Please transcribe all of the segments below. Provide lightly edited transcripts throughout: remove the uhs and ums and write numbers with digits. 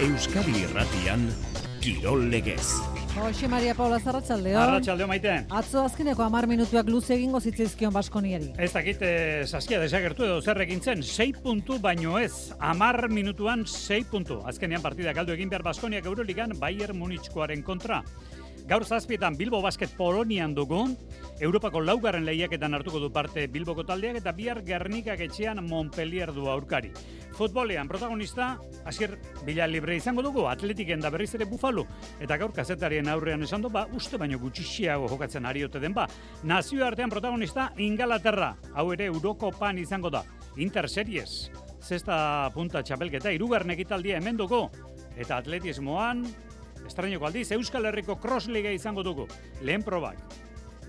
Euskadi Irratian, Kirol Legez. Jose Maria Paula, arratsaldeon. Arratsaldeo Maite. Atzo azkeneko 10 minutuak luze egingo zitzaizkion Baskoniari. Ez dakit saskia desagertu edo zer egin zen, 6 puntu baino ez. 10 minutuan 6 puntu. Azkenean partida galdu egin behar Baskoniak Euroligan Bayern Munichkoaren kontra. Gaur 7:00 Bilbo Basket Polonian dugu. Europako laugarren lehiaketan hartuko du parte Bilboko taldeak eta bihar Gernikak etxean Montpellier du aurkari. Futbolean protagonista Asier Villalibre izango dugu, Atletiken da berriz ere Buffalo eta gaur kazetarien aurrean esan du uste baino gutxiago jokatzen ari ote den Nazioartean protagonista Ingalaterra, hau ere Eurokopan izango da. Inter Series, 6. punta txapelketa 3. ekitaldia hemen dugu eta atletismoan estrainoko aldiz Euskal Herriko Cross Liga izango dugu. Lehen probak.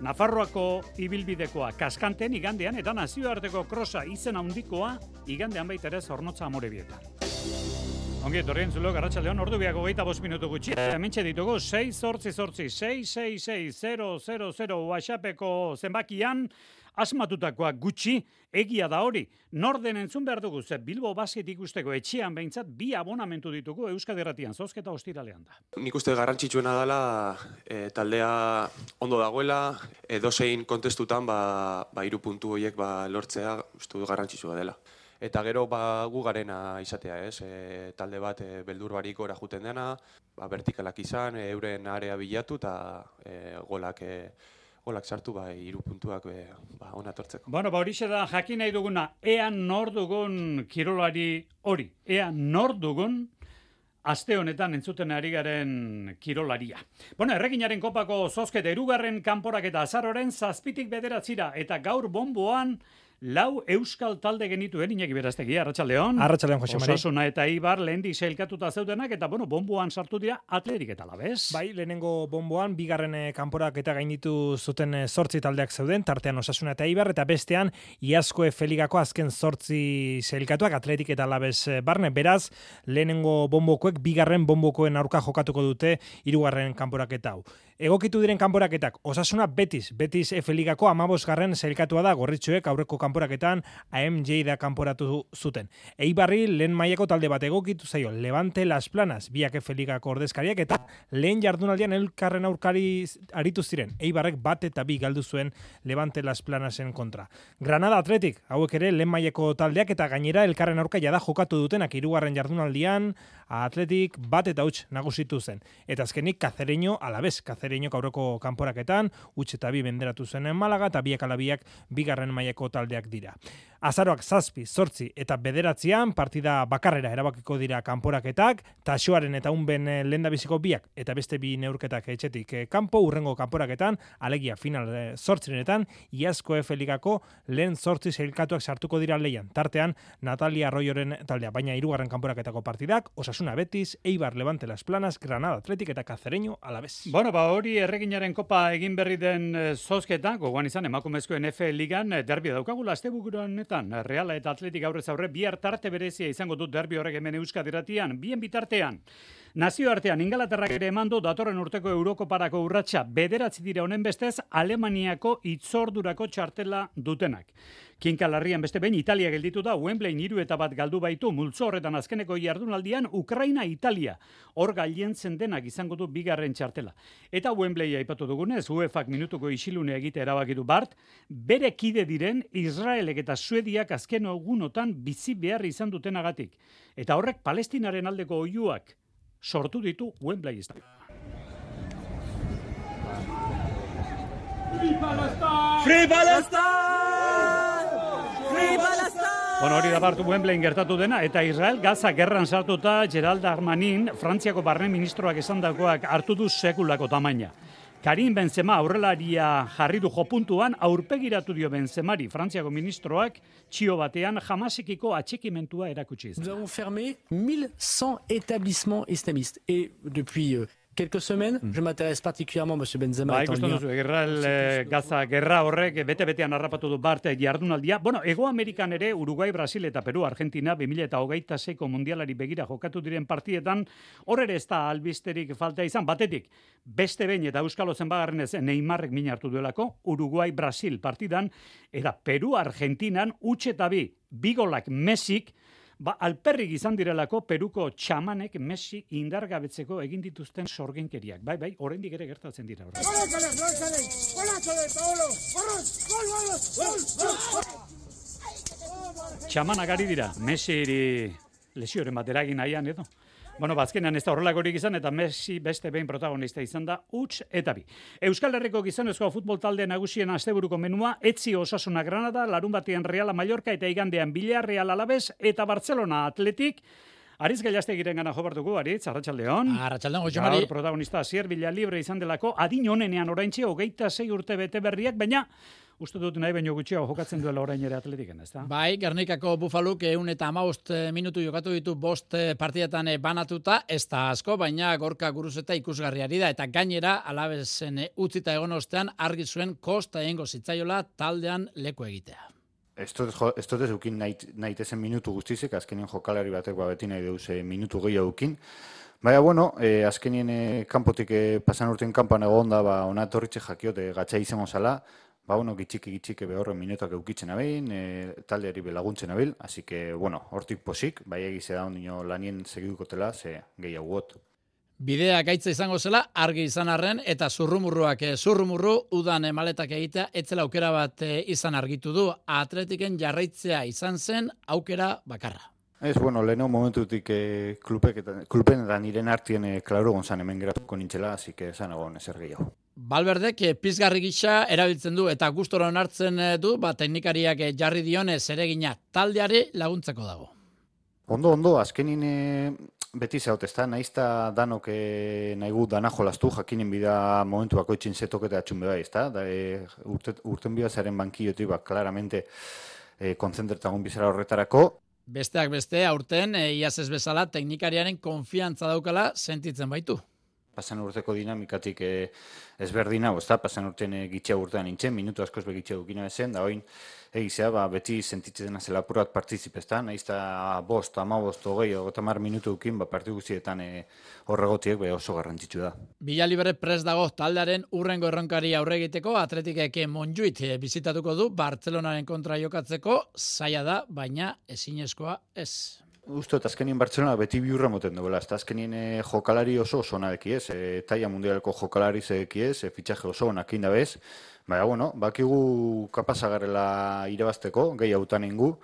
Nafarroako ibilbidekoa kaskanten igandean eta nazioarteko krosa izen handikoa igandean baita ere Zornotza Amorebietan. Ongi etorri entzulok, arratsaldeon, ordu biak 25 minutu gutxi. Hementxe ditugu 688-666-000 WhatsAppeko zenbakian asmatutakoa gutxi, egia da hori. Norden entzun behar dugu, ze Bilbo Basket ikusteko etxean behintzat 2 abonamentu ditugu Euskadi Irratian, zozketa ostiralean da. Nik uste garrantzitsuena dela taldea ondo dagoela, edozein kontestutan 3 puntu horiek lortzea uste dut garrantzitsua dela. Eta gero gu garena izatea, ez? Talde bat beldur barik gora juten dena, vertikalak izan, euren area bilatu eta golak sartu 3 puntuak ona tortzeko. Bueno, horixe da jakin nahi duguna, ea nor dugun kirolari hori, ea nor dugun aste honetan entzuten ari garen kirolaria. Bueno, Erreginaren kopako zozketa 2. kanporak eta azaroren 7:00 9:00 eta gaur bonboan 4 euskal talde genituen, Iñaki Berastegi, arratsaldeon. Arratsaldeon, Jose Mari. Osasuna eta Eibar lehendik sailkatuta zeudenak eta bonboan sartu dira Atletik eta Alavés. Bai, lehenengo bonboan 2. kanporak eta gainditu zuten 8 taldeak zeuden, tartean Osasuna eta Eibar eta bestean Iazko Efe-ligako azken 8 sailkatuak Atletik eta Alavés barne. Beraz, lehenengo bonbokoek 2. bonbokoen aurka jokatuko dute 3. kanporaketa hau. Egokitu diren kanporaketak, Osasuna Betis Efe-ligako 15. sailkatua da, gorritxoek aurreko kanporaketan AMJ da kanporatu zuten. Eibarri lehen mailako talde bat egokitu zaio, Levante Las Planas, biak Efe-ligako ordezkariak eta lehen jardunaldian elkarren aurkari aritu ziren. Eibarrek 1 eta 2 galdu zuen Levante Las Planasen kontra. Granada Athletic, hauek ere lehen mailako taldeak eta gainera elkarren aurka jada jokatu dutenak 3. jardunaldian, Athletic 1 eta 0 nagusitu zen. Eta azkenik Cacereño Alavés, Cacereñok aurreko kanporaketan, 1 eta 2 benderatu zen Malaga eta 2 ala 2 2. mailako taldeak dira. Azaroak 7, 8 eta 9 partida bakarrera erabakiko dira kanporaketak, Taxoaren eta Unben lehendabiziko 2 eta beste 2 neurketak etxetik kanpo, urrengo kanporaketan, alegia final 8etan, Iazko Efe-ligako lehen 8 sailkatuak sartuko dira leian. Tartean, Natalia Arroyoren taldea, baina 3. kanporaketako partidak, Osasuna Betis, Eibar Levante Las Planas, Granada Athletic eta Cacereño Alavés. Bueno, hori Erreginaren kopa egin berri den zozketa, gogoan izan emakumezkoen Efe-ligan derbio daukagula asteburuan Reala eta Atletik aurrez aurre bihar tarte berezia izango dut derbi horrek hemen Euskadi Irratian, bien bitartean. Nazioartean Ingalaterrak ere emandu datorren urteko Eurokoparako urratsa 9 dira honen bestez Alemaniako itzordurako txartela dutenak. Kinkalarrian beste behin Italia gelditu da, Wembley 3 eta 1 galdu baitu, multzo horretan azkeneko jardunaldian Ukraina-Italia. Hor gailentzen denak izango du 2. txartela. Eta Wembley aipatu dugunez, UEFAk minutuko isilunea egite erabakitu bart, bere kide diren Israelek eta Suediak azken egunotan bizi behar izan dutenagatik. Eta horrek Palestinaren aldeko oihuak sortu ditu Wembley estadioan. Free Palestine! Free Palestine! Bueno, hori da bartu Wembleyin gertatu dena, eta Israel Gaza gerran sartuta Gerald Darmanin, Frantziako barne ministroak esandakoak hartu du sekulako tamaina. Karim Benzema aurrelaria jarri du jopuntuan, aurpegiratu dio Benzemari, Frantziako ministroak, txio batean jamasekiko atxikimentua erakutsi izan. Nous avons fermé 1100 établissements islamistes. Et depuis quelques semaines, je m'intéresse particulièrement, M. Benzema. Ikusten duzu, Gaza gerra horrek bete-betean harrapatu du barte jardunaldia. Bueno, Ego Amerikan ere, Uruguai, Brasil eta Peru, Argentina, 2026ko mundialari begira jokatu diren partietan, hor ere ez da albisterik falta izan, batetik, beste behin eta Euskalo zenbagarren ez Neymarrek min hartu duelako, Uruguai, Brasil partidan, eta Peru, Argentinan, 1 eta 2 golak Mesik, Alperrik izan direlako Peruko txamanek Messi indargabetzeko egin dituzten sorginkeriak. Bai, oraindik ere gertatzen dira. Txamanak ari dira, Messi lesioren bat eragin nahian edo. Azkenean ez da horrelakorik izan eta Messi beste behin protagonista izan da, huts eta bi. Euskal Herriko gizonezko futbol talde nagusien asteburuko menua, Etzi Osasuna Granada, larun batean Reala Mallorca eta igandean Villarreal Alaves eta Barcelona Atletik. Aritz Gaiastegiren gana jobartuko, Aritz, arratsaldeon. Arratsaldeon, José Mari. Gaur protagonista Asier Villalibre izan delako, adin honenean oraintxe 26 urte bete berriak, baina uste dut nahi baino gutxiago jokatzen duela orain ere Atletiken, ezta? Bai, Gernikako Bufaluk 115 minutu jokatu ditu 5 partidetan banatuta, ez da asko, baina Gorka Guruzeta ikusgarriari da, eta gainera Alavesen utzita egon ostean argi zuen kosta egingo zitzaiola taldean leku egitea. Ez dut eukin nahitezen minutu guztizek, azkenien jokalari batek beti nahi deuz minutu gehiago eukin. Baina, azkenien kanpotik pasan urtean kanpan egon da, ona torritxe jakiote gatsa izango zala, gitxike behorren minutak eukitzen abein, taldeari belaguntzen abil, así que, hortik posik, bai egize da ondino lanien segidukotela, ze gehiago got. Bidea gaitza izango zela, argi izan arren, eta zurrumurruak udan maletak egitea, etzela aukera bat izan argitu du, Atletiken jarraitzea izan zen aukera bakarra. Ez, leheno momentutik klupen eta niren artien klaro gonzan hemen geratuko nintzela, así que esan egon ezer gehiago. Balberdek pizgarri gisa erabiltzen du eta gustora onartzen du, teknikariak jarri dione zeregina taldeari laguntzeko dago. Ondo, azkenin beti zaut, ez da, nahizta danok nahi gu dana jolaztu, jakinen bida momentu bakoitzin zetoketa atxun beba, ez da, urten bidazaren bankiotik, claramente konzentretagun bizara horretarako. Besteak beste, aurten, iaz ez bezala, teknikariaren konfiantza daukala sentitzen baitu. Pasan urteko dinamikatik ezberdina, pasan urtean gitxea urtean nintzen, minutu askoz begitxea dukina ezen, da oin egizea, beti sentitzen zela apurat partizipezta, nahizta 5, 15, 20, 30 minutu dukin, partiu guztietan horregotiek oso garrantzitsu da. Villalibre prest dago taldearen urrengo erronkari aurre egiteko, Atletikek Montjuïc bizitatuko du, Bartzelonaren kontra jokatzeko, zaila da, baina ezinezkoa ez. Uste, eta azkenien Bartzelona beti biurra moten duela, ez azkenien jokalari oso ona deki ez, taia mundialeko jokalari zeki ez, fitxaje oso onak indabez, bakigu kapazagarrela irabazteko, gehi hautan ingu,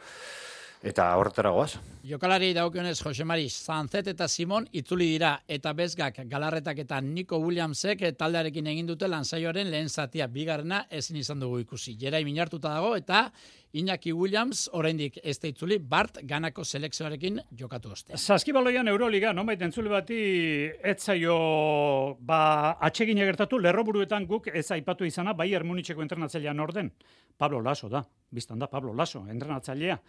eta horretara goaz. Jokalari daukionez Jose Mari, Sanzet eta Simon itzuli dira, eta Bezgak, Galarretak eta Nico Williamsek taldearekin egin dute lansaioaren lehen zatia, bigarrena ezin izan dugu ikusi. Jerai minartuta dago, eta Iñaki Williams oraindik ez da itzuli, Bart Ganako selekzioarekin jokatu oste. Saskibaloian Euroliga, nonbait entzule bati etzaio atsegina gertatu, lerroburuetan guk ez aipatu izana, Bayern Municheko entrenatzailean orden. Pablo Laso da, biztan da Pablo Laso, entrenatzailea.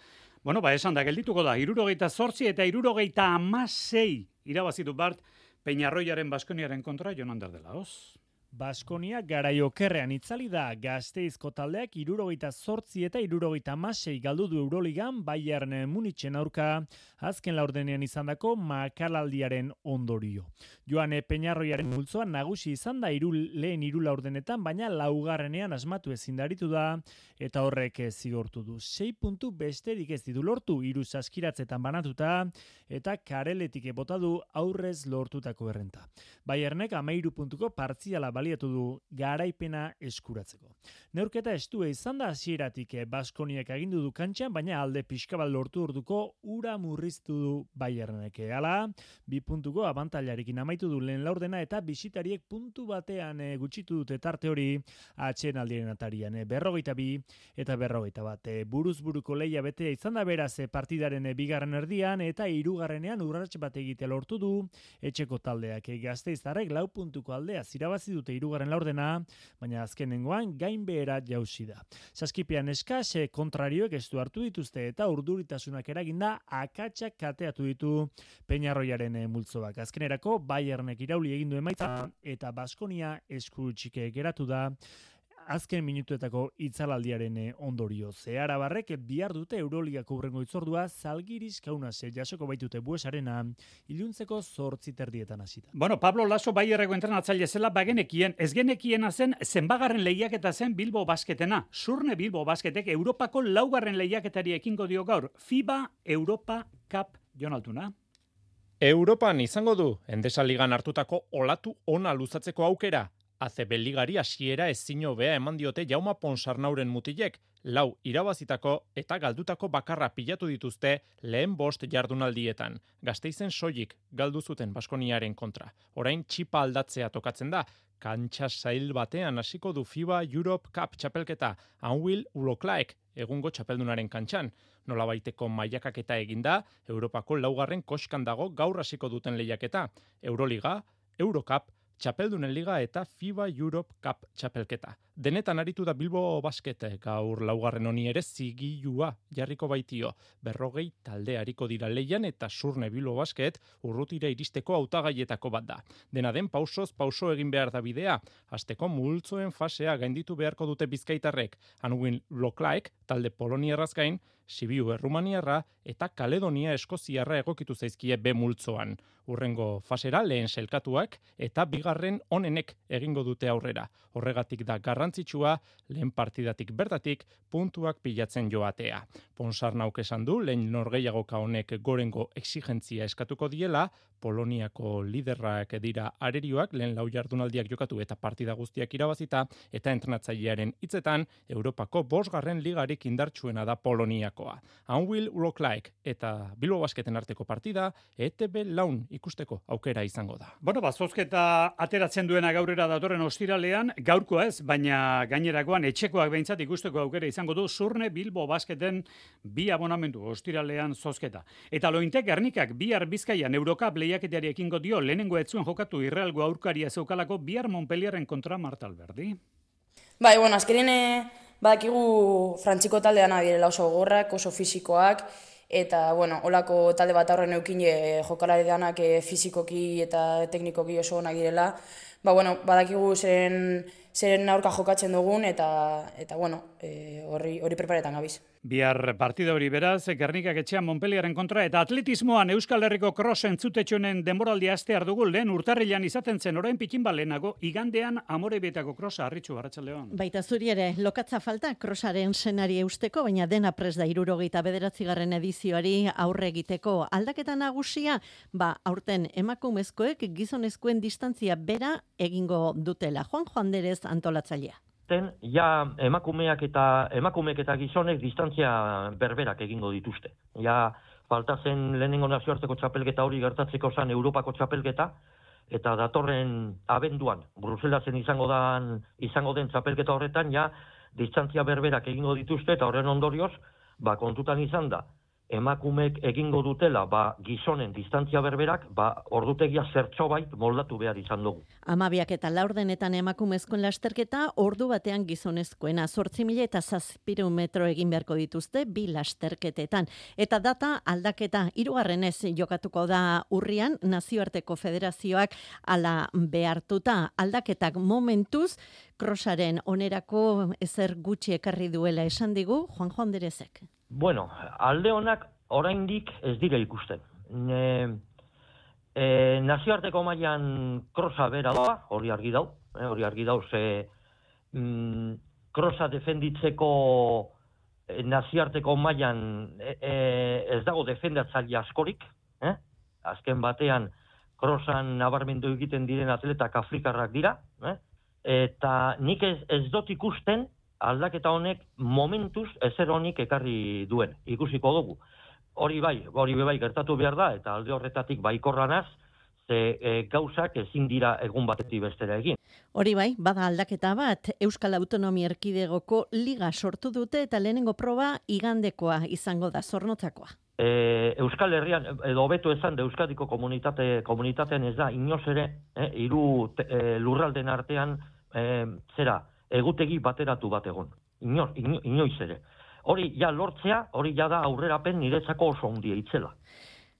Esan da, geldituko da, 78 eta 76 irabazitu Bart Peñarroiaren Baskoniaren kontra, Jonander de Laos. Baskonia garaiokerrean itzali da, Gasteizko taldeak 78 eta 76 galdu du Euroligan Bayern Munichen aurka, azken laurdenean izandako makalaldiaren ondorio. Joan Peñarroiaren multzoa nagusi izan da lehen hiru laurdenetan, baina laugarrenean asmatu ezin daritu da, eta horrek zigortu du. 6 puntu besterik ez ditu lortu, 3 saskiratzetan banatuta, eta kareletik bota du aurrez lortutako errenta. Bayernek 13 puntuko partziala baliatu du garaipena eskuratzeko. Neurketa estua izan da hasieratik Baskoniak agindu du kantxan, baina alde pixkabal lortu orduko ura murriztu du Bayernek. Hala, 2 puntuko abantailarekin amaitu du lehen laurdena eta bisitariek puntu batean gutxitu dute tarte hori atsedenaldiaren atarian. 42 eta 41. Buruz-buruko lehia betea izan da beraz partidaren bigarren erdian eta hirugarrenean urrats bat egitea lortu du etxeko taldeak. Gasteiztarrek 4 puntuko aldea irabazi dute hirugarren laurdena, baina azkenengoan gainbehera jauzi da. Saskipian eskas kontrarioek ez du hartu dituzte eta urduritasunak eraginda akatsak kateatu ditu Peñarroiaren multzoak. Azkenerako Bayernek irauli egin du emaitza eta Baskonia eskurutsik geratu da azken minutuetako itzalaldiaren ondorio. Arabarrek bihar dute Euroligako hurrengo itzordua Zalgiris Kaunas jasoko baitute Buesarena iluntzeko 8:30 hasita. Pablo Laso Bayerreko entrenatzaile zela bagenekien, ez genekiena zen zenbagarren lehiaketa zen Bilbo Basketena. Surne Bilbo Basketek Europako 4. lehiaketari ekingo dio gaur. FIBA Europa Cup, Jon Altuna. Europan izango du Endesa Ligan hartutako olatu ona luzatzeko aukera. ACB Ligari hasiera ezin hobea eman diote Jauma Ponsarnauren mutilek, 4 irabazitako eta galdutako bakarra pilatu dituzte lehen 5 jardunaldietan. Gasteizen soilik galdu zuten Baskoniaren kontra. Orain txipa aldatzea tokatzen da. Kantxa zail batean hasiko du FIBA Europe Cup txapelketa, Anwil Uloklaek egungo txapeldunaren kantxan. Nolabaiteko mailakaketa eginda, Europako 4. koskan dago gaur hasiko duten lehiaketa. Euroliga, Eurocup, Txapeldunen Liga eta FIBA Europe Cup txapelketa. Denetan aritu da Bilbo Basket gaur 4. honi ere zigilua jarriko baitio. 40 talde ariko dira leian eta Surne Bilbo Basket urrutira iristeko hautagaietako bat da. Dena den pausoz pauso egin behar da bidea. Hasteko multzoen fasea gainditu beharko dute Bizkaitarrek. Anwin Loklaek talde Poloniarraz gain, Sibiu Errumaniarra eta Kaledonia Eskoziarra egokitu zaizkie B multzoan. Urrengo fasera lehen selkatuak eta bigarren onenek egingo dute aurrera. Horregatik da garrantzitsua lehen partidatik bertatik puntuak pilatzen joatea. Ponsarnauk esan du lehen norgehiagoka honek gorengo exigentzia eskatuko diela, Poloniako liderrak dira arerioak lehen 4 jardunaldiak jokatu eta partida guztiak irabazita eta entrenatzailearen hitzetan Europako 5. ligarik indartsuena da Poloniakoa. Anwil Uloklaek eta Bilbo Basketen arteko partida ETB laun ikusteko aukera izango da. Bueno, zozketa ateratzen duena gaurera datorren ostiralean, gaurkoa ez, baina gainerakoan etxekoak behintzat ikusteko aukera izango du Surne Bilbo Basketen 2 abonamendu ostiralean zozketa. Eta Lointek Gernikak bihar Bizkaian Eurocup lehiaketari ekingo dio lehenengo ez zuen jokatu Irrealgo aurkaria zeukalako bihar Montpellierren kontra Marta Alberdi. Bai, bueno, azkenean badakigu frantziko taldean direla oso gogorrak, oso fisikoak, eta, bueno, holako talde bat aurren eukin jokalari danak fisikoki eta teknikoki oso onak direla. Ba, bueno, badakigu zeren aurka jokatzen dugun, eta bueno, hori preparetan gabiz. Bihar partida hori beraz, Gernikak etxean Montpellierren kontra, eta atletismoan Euskal Herriko cross entzutetxonen denboraldia astear dugu lehen urtarrilan izaten zen orain pikin balenago, igandean Amorebietako crossa Arritxu Arratsaldeon. Baita zuri ere, lokatza falta crossaren senari eusteko, baina dena prest da 79. edizioari aurre egiteko. Aldaketa nagusia, aurten emakumezkoek gizonezkoen distantzia bera egingo dutela. Juan Anderez antolatzailea. Ja emakumeek eta gizonek distantzia berberak egingo dituzte. Ja falta zen lehenengo nazioarteko txapelketa hori gertatzeko zen Europako txapelketa, eta datorren abenduan Bruselasen izango den txapelketa horretan ja distantzia berberak egingo dituzte, eta horren ondorioz kontutan izan da emakumeek egingo dutela gizonen distantzia berberak, ordutegia zertxobait moldatu behar izan dugu. 12 eta 4 emakumezkoen lasterketa, ordu batean gizonezkoena 8.700 metro egin beharko dituzte 2 lasterketetan. Eta data aldaketa 3. jokatuko da urrian, nazioarteko federazioak ala behartuta. Aldaketak momentuz, crossaren onerako ezer gutxi ekarri duela esan digu Juan Anderezek. Bueno, alde honak oraindik ez dira ikusten. Nazioarteko mailan krosa bera da, hori argi dau, ze krosa defenditzeko nazioarteko mailan ez dago defendatzaile askorik, azken batean krosan nabarmendu egiten diren atletak afrikarrak dira, eta nik ez dut ikusten aldaketa honek momentuz ezer honik ekarri duen, ikusiko dugu. Hori bai gertatu behar da, eta alde horretatik baikorranaz, ze gauzak ezin dira egun batetik bestera egin. Hori bai, bada aldaketa bat, Euskal Autonomia Erkidegoko liga sortu dute eta lehenengo proba igandekoa izango da, Zornotzakoa. Euskal Herrian, edo hobeto esan de Euskadiko komunitatean ez da, inoz ere, 3 lurralden artean, egutegi bateratu bat egon. Inoiz ere. Hori ja lortzea, hori ja da aurrerapen niretzako oso handia itzela.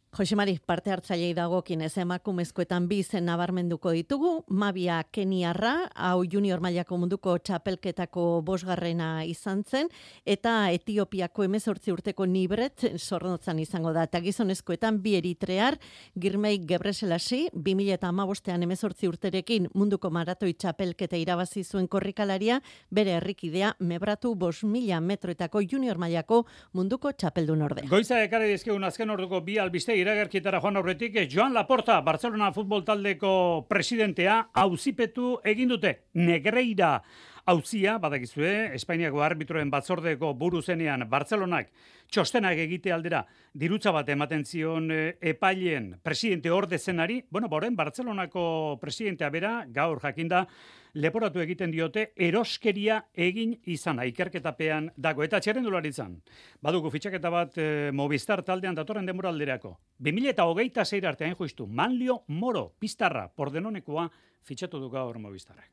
Josemari, parte hartzailei dagokienez emakumezkoetan bi izen nabarmenduko ditugu, Mabia Keniarra, hau junior mailako munduko txapelketako 5. izan zen, eta Etiopiako 18 urteko Nibret Zornotzan izango da. Eta gizonezkoetan bi eritrear, Girmei Gebreselasi, 2015ean 18 urterekin munduko maratoi txapelketa irabazi zuen korrikalaria, bere herrikidea Mebratu 5.000 metroetako junior mailako munduko txapeldun orde. Goiza ekarri dizkigun azken orduko bi albiste iragarkitara joan aurretik, Joan Laporta, Barcelona futbol taldeko presidentea, auzipetu egin dute. Negreira auzia, badakizue, Espainiako arbitroen batzordeko buru zenean Barcelonak txostenak egite aldera dirutza bat ematen zion epaileen presidente orde zenari, boren Barcelonako presidentea bera, gaur jakinda, leporatu egiten diote eroskeria egin izana, ikerketapean dago. Eta txerrendularitzan, badugu fitxaketa bat Movistar taldean datorren denboralderako. 2026 artean justu, Manlio Moro, Piztarra, Pordenonekoa fitxatu du gaur Movistarrak.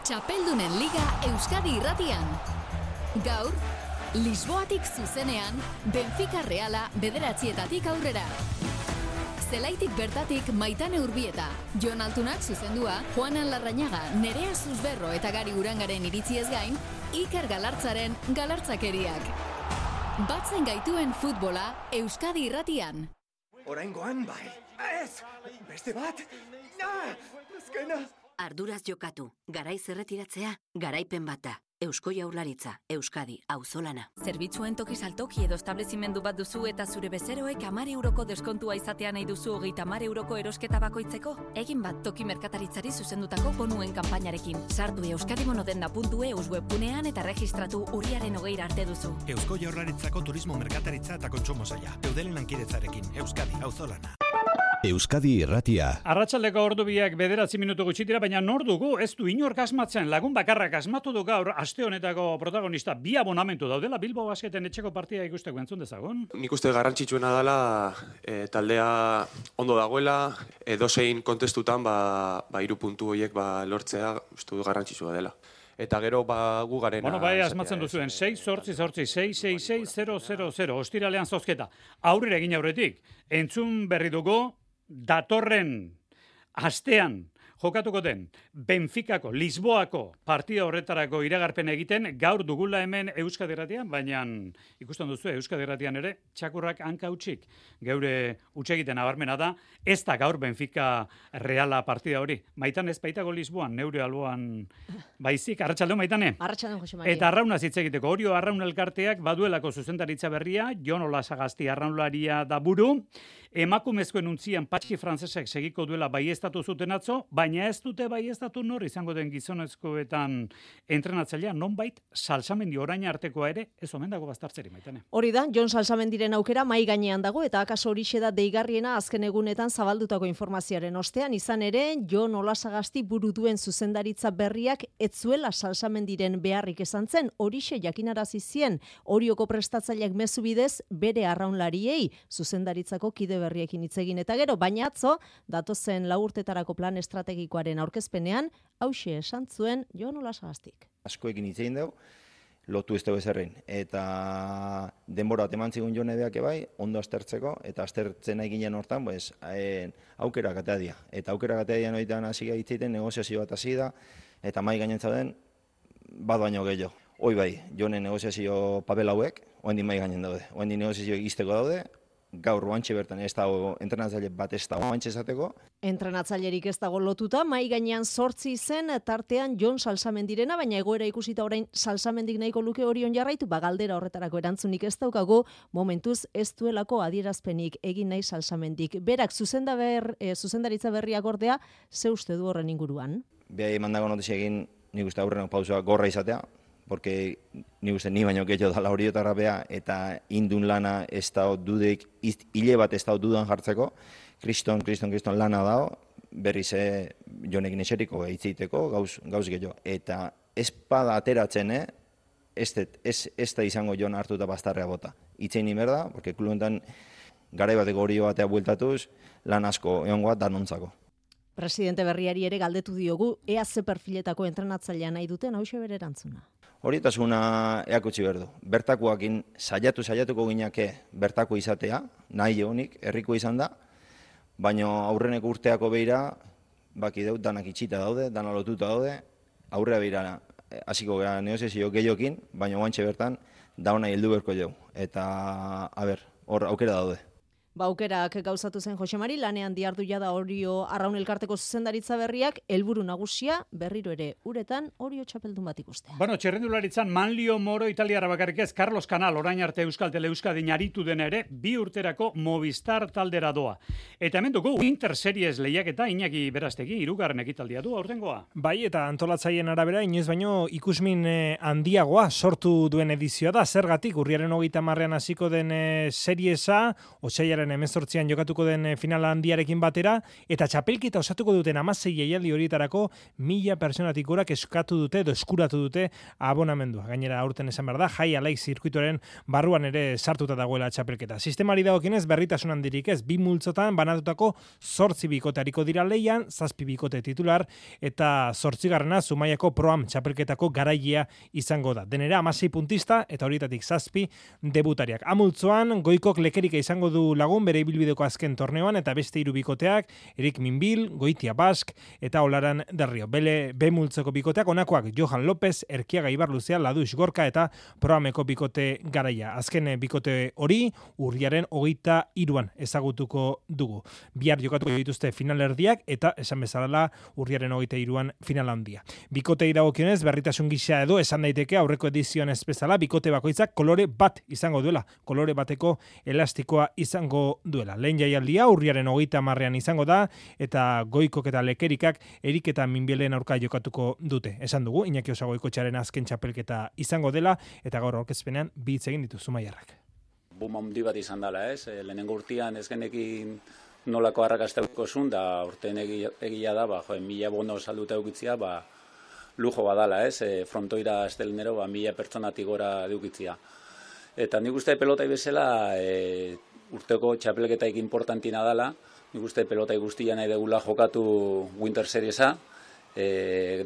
Txapeldunen Liga Euskadi Irratian. Gaur, Lisboatik zuzenean, Benfica Reala 9:00 aurrera. Zelaitik bertatik Maitane Urbieta, Jon Altunak zuzendua, Juanan Larrañaga, Nerea Zuzberro eta Gari Urangaren iritziez gain, Iker Galartzaren galartzakeriak. Batzen gaituen futbola Euskadi Irratian. Oraingoan bai. Ez! Beste bat! Azkena! Arduraz jokatu, garaiz erretiratzea, garaipen bata. Eusko Jaurlaritza, Euskadi, auzolana. Zerbitzuen toki saltoki edo establezimendu bat duzu eta zure bezeroek 10 euroko deskontua izatea nahi duzu 30 euroko erosketa bakoitzeko? Egin bat toki merkataritzari zuzendutako bonuen kanpainarekin. Sartu euskadimonodendak.eus webgunean eta registratu urriaren 20 arte duzu. Eusko Jaurlaritzako turismo merkataritza eta kontsumo saila. Eudelen lankidetzarekin, Euskadi, auzolana. Euskadi Irratia. Arratsaldeko ordu biak 9 minutu gutxitira, baina nor dugu ez du inork asmatzen, lagun bakarrak asmatu du gaur aste honetako protagonista. Bi abonamentu daudela Bilbao Basketen etxeko partida ikusteko, entzun dezagun. Nik uste garrantzitsuena dela taldea ondo dagoela, edozein kontestutan 3 puntu horiek lortzea uste du garrantzitsua dela. Eta gero gu garena... Bai, asmatzen duzuen, 6-8-6-6-6-0-0-0, ostiralean zozketa. Aurrera egin aurretik, entzun berri dugu, datorren astean jokatuko den Benficako, Lisboako partida horretarako iragarpen egiten gaur dugula hemen Euskadi Irratian, baina ikusten duzu Euskadi Irratian ere txakurrak hanka hutsik. Geure hutsegiten nabarmena da, ez da gaur Benfica Reala partida hori. Maitan ez baitago Lisboan, neure alboan baizik. Arratsaldeon Maitane. Arratsaldeon Jose Maria. Eta Arraunaz hitz egiteko. Orio Arraun elkarteak baduelako zuzendaritza berria, Jon Olasagasti arraunlaria da buru. Emakumezkoen untzian Patxi Frantzesek segiko duela baieztatu zuten atzo, baina ez dute baieztatu nor izango den gizonezkoetan entrenatzailea, nonbait Salsamendi orain artekoa ere ez omen dago baztartzeri, Maitane. Hori da, Jon Salsamendiren aukera mai gainean dago eta akaso horixe da deigarriena azken egunetan zabaldutako informazioaren ostean, izan ere Jon Olasagasti buru duen zuzendaritza berriak ez zuela Salsamendiren beharrik esan zen, horixe jakinarazi zien Orioko prestatzaileak mezu bidez bere arraunlariei zuzendaritzako kide berriekin hitz egin eta gero, baina atzo datozen 4 urtetarako plan estrategikoaren aurkezpenean hauxe esan zuen Jon Olasagastik. Askoekin hitz egin dugu, lotu ez dugu ezerrein. Eta denbora bat eman zigun Jonebeak bai, ondo aztertzeko, eta aztertzen nahi ginen hortan, aukera gatea dia. Eta aukera gatea dia noitan hasi gaitzeiten, negoziazio bat hasi da, eta mai gainen zauden, bat baino gehiago. Hoi bai, Jonen negoziazio papel hauek, oendin mai gainen daude. Oendin negoziazio egizteko daude, gaur oantxe bertan ez dago entrenatzaile bat ez dago oantxe esateko. Entrenatzailerik ez dago lotuta, mai gainean 8 zen tartean Jon Salsamendirena, baina egoera ikusita orain Salsamendik nahiko luke Orion jarraitu, galdera horretarako erantzunik ez daukagu, momentuz ez duelako adierazpenik egin nahi Salsamendik. Berak zuzendaritza berriak ordea, ze uste du horren inguruan? Behai emandago notizia egin nik uste aurrenok pausua gorra izatea, porque ni uste ni baino gehiago dala horiotarra bea eta indun lana ez da dudek, hile bat ez da dudan jartzeko, kriston lana dao, berriz Jonekin eseriko hitzeiteko gauz gehiago. Eta ez pada ateratzen, ez da izango Jon hartuta bastarrea bota. Itzein imerda, porque kluentan garai bateko horio batea bueltatuz, lan asko egongoa danontzako. Presidente berriari ere galdetu diogu, ea ze perfiletako entrenatzailea nahi duten hauxe bere erantzuna. Horitasuna eakutsi behar du. Bertakoakin saiatuko gineke bertako izatea, nahi egonik, herriko izan da, baina aurreneko urteako behira, baki dut, danak itxita daude, dana lotuta daude, aurrea behira hasiko gara negoziazio gehiokin, baina guantxe bertan, dauna heldu berko jau. Eta, hor aukera daude. Aukerak gauzatu zen Josemari, lanean diardu jada Orio Arraun Elkarteko zuzendaritza berriak, helburu nagusia berriro ere uretan Orio txapeldun bat ikustea. Bueno, txerrendularitzan Manlio Moro italiara bakarrik ez, Carlos Canal orain arte Euskal Teleuskadin aritu den ere, 2 urterako Movistar taldera doa. Eta hemen dugu Winter Series lehiaketa Iñaki Berastegi 3. ekitaldia du aurtengoa. Bai, eta antolatzaien arabera inoiz baino ikusmin handiagoa sortu duen edizioa da. Zergatik urriaren 30ean hasiko den seriesa, otsaiaren 18an jokatuko den finala handiarekin batera, eta txapelketa osatuko duten 16 jaialdi horietarako 1000 pertsonatik gorak eskatu dute edo eskuratu dute abonamendua. Gainera aurten esan behar da, Jai Alai zirkuitoren barruan ere sartuta dagoela txapelketa. Sistemari dagokienez berritasun handirik ez, 2 multzotan banatutako 8 bikote hariko dira leian, 7 bikote titular, eta 8. Zumaiako Proam txapelketako garailea izango da. Denera 16 puntista, eta horietatik 7 debutariak. Amultzoan, Goikok Lekerika izango du lagun bere ibilbideko azken torneoan, eta beste 3 bikoteak, Erik Minbil, Goitia Bask, eta Olaran Derrio. B multzoko bikoteak onakoak Johan López, Erkiaga Ibarluzea, Ladux Gorka, eta Proameko bikote garaia. Azken bikote hori, urriaren 23an ezagutuko dugu. Bihar jokatuko dituzte finalerdiak, eta esan bezala urriaren 23an final handia. Bikotei dagokionez, berritasun gisa edo esan daiteke aurreko edizioan ez bezala, bikote bakoitzak kolore bat izango duela, kolore bateko elastikoa izango duela. Lehen jaialdia urriaren 30ean izango da, eta Goikok eta Lekerikak Erik eta Minbielen aurka jokatuko dute. Esan dugu, Iñaki Osagoikotxearen azken txapelketa izango dela, eta gaur aurkezpenean bi hitz egin ditu Zumaiarrak. Buma handi bat izan dela, ez? Lehenengo urtean ez genekin nolako arrakastauko zun, da urten egia da, 1000 bono salduta eukitzia, lujo badala, ez? Frontoira estelenero, 1000 pertsonatik gora deukitzia. Eta nik uste pelotai bezala, urteko txapelketaik importantina dela, nik uste pelotai guztia nahi degula jokatu Winter Seriesa,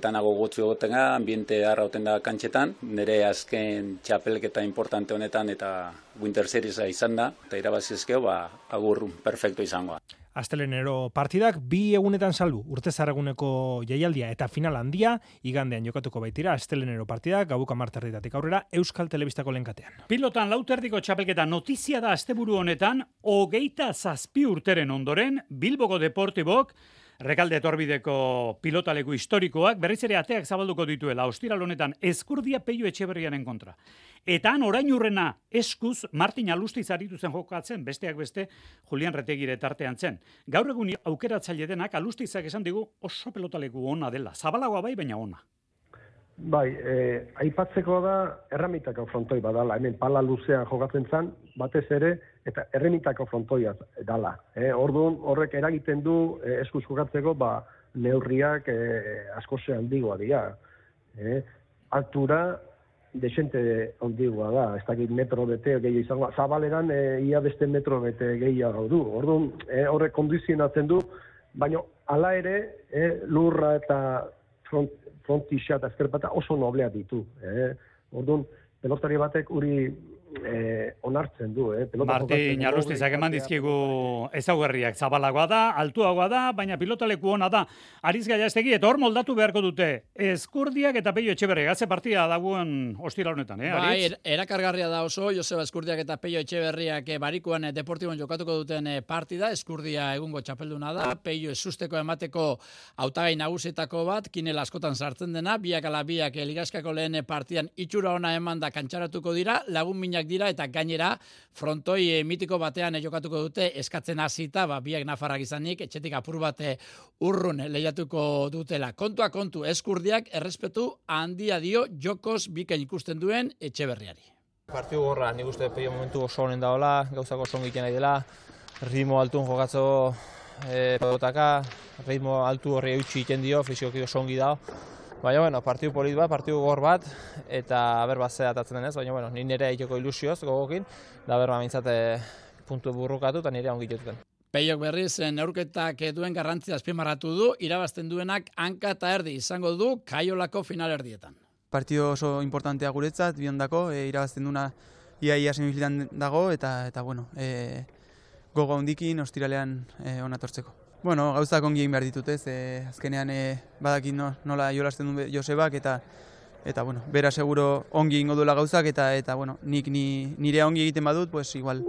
danago gotzu egotenga, ambiente harra oten da kantxetan, nire azken txapelketa importante honetan eta Winter Seriesa izan da, eta irabazizkeo, agur perfecto izangoa. Astelenero partidak 2 egunetan salbu, urtezarreguneko jaialdia eta final handia, igandean jokatuko baitira astelenero partidak, gauko 10:00 aurrera, Euskal Telebistako lehenkatean. Pilotan lauterdiko txapelketa notizia da asteburu honetan, 27 urteren ondoren, Bilboko Deportibok, Rekalde etorbideko pilotaleku historikoak berriz ere ateak zabalduko dituela ostiral honetan Ezkurdia Peio Etxeberriaren kontra. Eta han orain urrena eskuz Martin Alustiz aritu zen jokatzen, besteak beste Julian Retegire tartean zen. Gaur egun aukeratzaile denak Alustizak esan digu oso pelotaleku ona dela. Zabalagoa bai, baina ona. Bai, aipatzeko da erremitako frontoi badala, hemen pala luzean jokatzen zen, batez ere, eta erremitako frontoia dala. Orduan horrek eragiten du eskuz jokatzeko, neurriak asko ze handigoa dira. Altura desente handigoa da, ez dakit metro bete gehiago izango, zabaleran ia beste metro bete gehiago du. Orduan horrek kondizionatzen du, baina hala ere lurra eta frontixa eta ezkerpata oso nobleak ditu. Orduan, pelotari batek uri onartzen du. Martin Alustizak eman dizkigu ezaugarriak, zabalagoa da, altuagoa da, baina pilotaleku ona da. Ariz Gaiastegi, eta hor moldatu beharko dute Ezkurdiak eta Peio Etxeberriak. Atze partida dagoen ostira honetan, Bai, erakargarria da oso, Joseba Ezkurdiak eta Peio Etxeberriak barikuan Deportibon jokatuko duten partida. Ezkurdia egungo txapelduna da, Peio ezusteko emateko hautagai nagusietako bat, kinel askotan sartzen dena, biak ala biak ligaskako lehen partidan itxura ona eman da kantxaratuko dira, lagun minak dira eta gainera frontoi mitiko batean jokatuko dute eskatzen hasita, biak nafarrak izanik, etxetik apur bate urrun lehiatuko dutela. Kontua kontu, Ezkurdiak errespetu handia dio jokoz bikain ikusten duen Etxeberriari. Partiu gorra, nik uste Peio momentu oso honen daola, gauzako oso egiten nahi dela, ritmo altun jokatzo pelotaka, ritmo altu horri eutxi egiten dio, fizikoki oso ongi dao. Baina, bueno, partiu polit bat, partiu gor bat, eta berba ze atatzen denez, baina, bueno, nire egiteko ilusioz gogokin, da berba mintzate puntu burrukatu eta nire ongi jotuten. Peiok berriz neurketak duen garrantzia azpimarratu du, irabazten duenak hanka eta erdi izango du Kaiolako finalerdietan. partido oso importantea guretzat, biondako, irabazten duna ia semifinaletan dago, eta bueno, gogo handikin ostiralean onatortzeko. Bueno, gauzak ongi egin behar ditut, ez? Azkenean badakit nola jolasten duen Josebak, eta bueno, bera seguro ongi egingo duela gauzak, eta bueno, nik nire ongi egiten badut, pues igual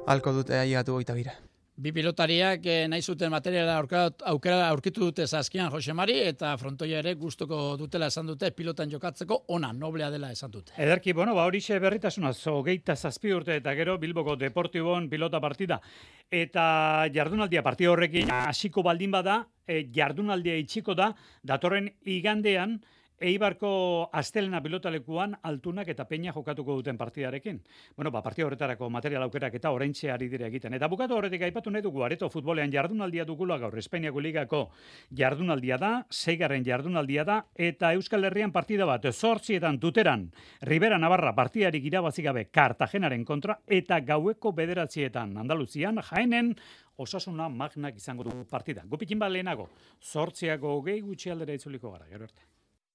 halko dut aigatu goita bira. Bi pilotariak nahi zuten materiala aukera aurkitu dute Saskian Josemari, eta frontoia ere gustuko dutela esan dute, pilotan jokatzeko ona, noblea dela esan dute. Ederki, bueno, horixe berritasuna, 27 urte eta gero Bilboko Deportibon pilota partida. Eta jardunaldia partida horrekin hasiko baldin bada, jardunaldia itxiko da, datorren igandean, Eibarko astelena pilotalekuan Altunak eta Peña jokatuko duten partidarekin. Bueno, partida horretarako material aukerak eta oraintxe ari dira egiten. Eta bukatu horretik aipatu nahi dugu, Areto futbolean jardunaldia dugula gaur, Espainiako ligako jardunaldia da, 6. jardunaldia da, eta Euskal Herrian partida bat, 8 Tuteran, Ribera Navarra partidarik irabazi gabe Kartagenaren kontra, eta gaueko 9 Andaluzian, Jaenen, Osasuna Magnak izango du partida. Gupikin bat lehenago, 8 gutxi aldera itzuliko gara, gero arte.